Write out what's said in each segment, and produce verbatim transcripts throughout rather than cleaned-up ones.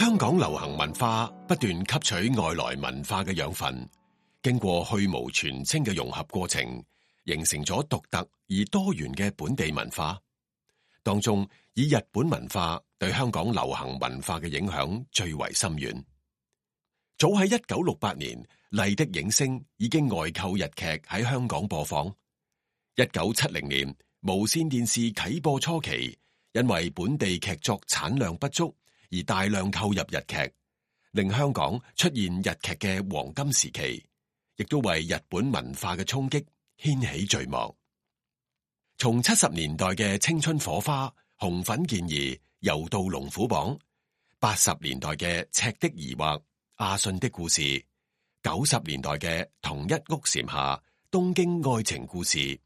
香港流行文化不斷吸取外來文化嘅養分，經過去蕪存菁嘅融合過程，形成咗獨特而多元嘅本地文化。當中以日本文化對香港流行文化嘅影響最為深遠。早喺一九六八年，麗的映聲已經外購日劇喺香港播放。一九七零年，無綫電視啟播初期，因為本地劇作產量不足而大量購入日劇，令香港出現日劇嘅黃金時期，亦都為日本文化嘅衝擊掀起序幕。從七十年代嘅青春火花、紅粉健兒、柔道龍虎榜，八十年代嘅赤的疑惑、阿信的故事，九十年代嘅同一屋檐下、東京愛情故事，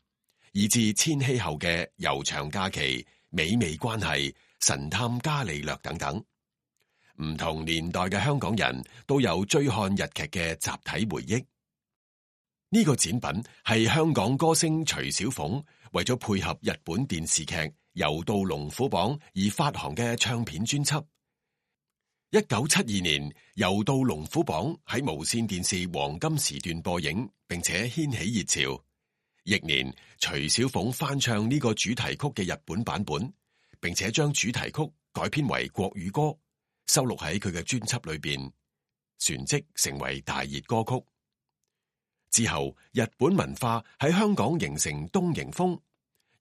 以至千禧後嘅悠長假期、美味關係、神探伽利略等等，唔同年代嘅香港人都有追看日劇嘅集體回憶。呢個展品係香港歌星徐小鳳為咗配合日本電視劇《柔道龍虎榜》而發行嘅唱片專輯。一九七二年，《柔道龍虎榜》喺無綫電視黃金時段播映，並且掀起熱潮。翌年，徐小鳳翻唱呢個主題曲嘅日本版本，並且將主題曲改編為國語歌，收錄喺佢嘅專輯裏邊，旋即成為大熱歌曲。之後，日本文化喺香港形成東瀛風，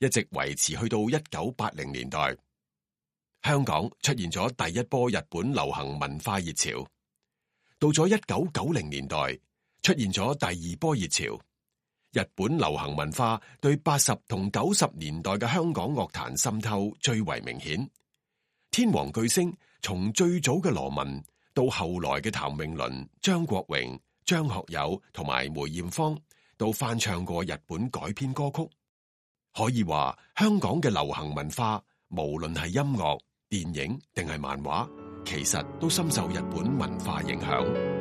一直維持去到一九八零年代。香港出現咗第一波日本流行文化熱潮。到咗一九九零年代，出現咗第二波熱潮。日本流行文化對八十同九十年代嘅香港樂壇滲透最為明顯。天王巨星從最早嘅羅文到後來嘅譚詠麟、張國榮、張學友同埋梅艷芳都翻唱過日本改編歌曲，可以話香港嘅流行文化無論係音樂、電影定係漫畫，其實都深受日本文化影響。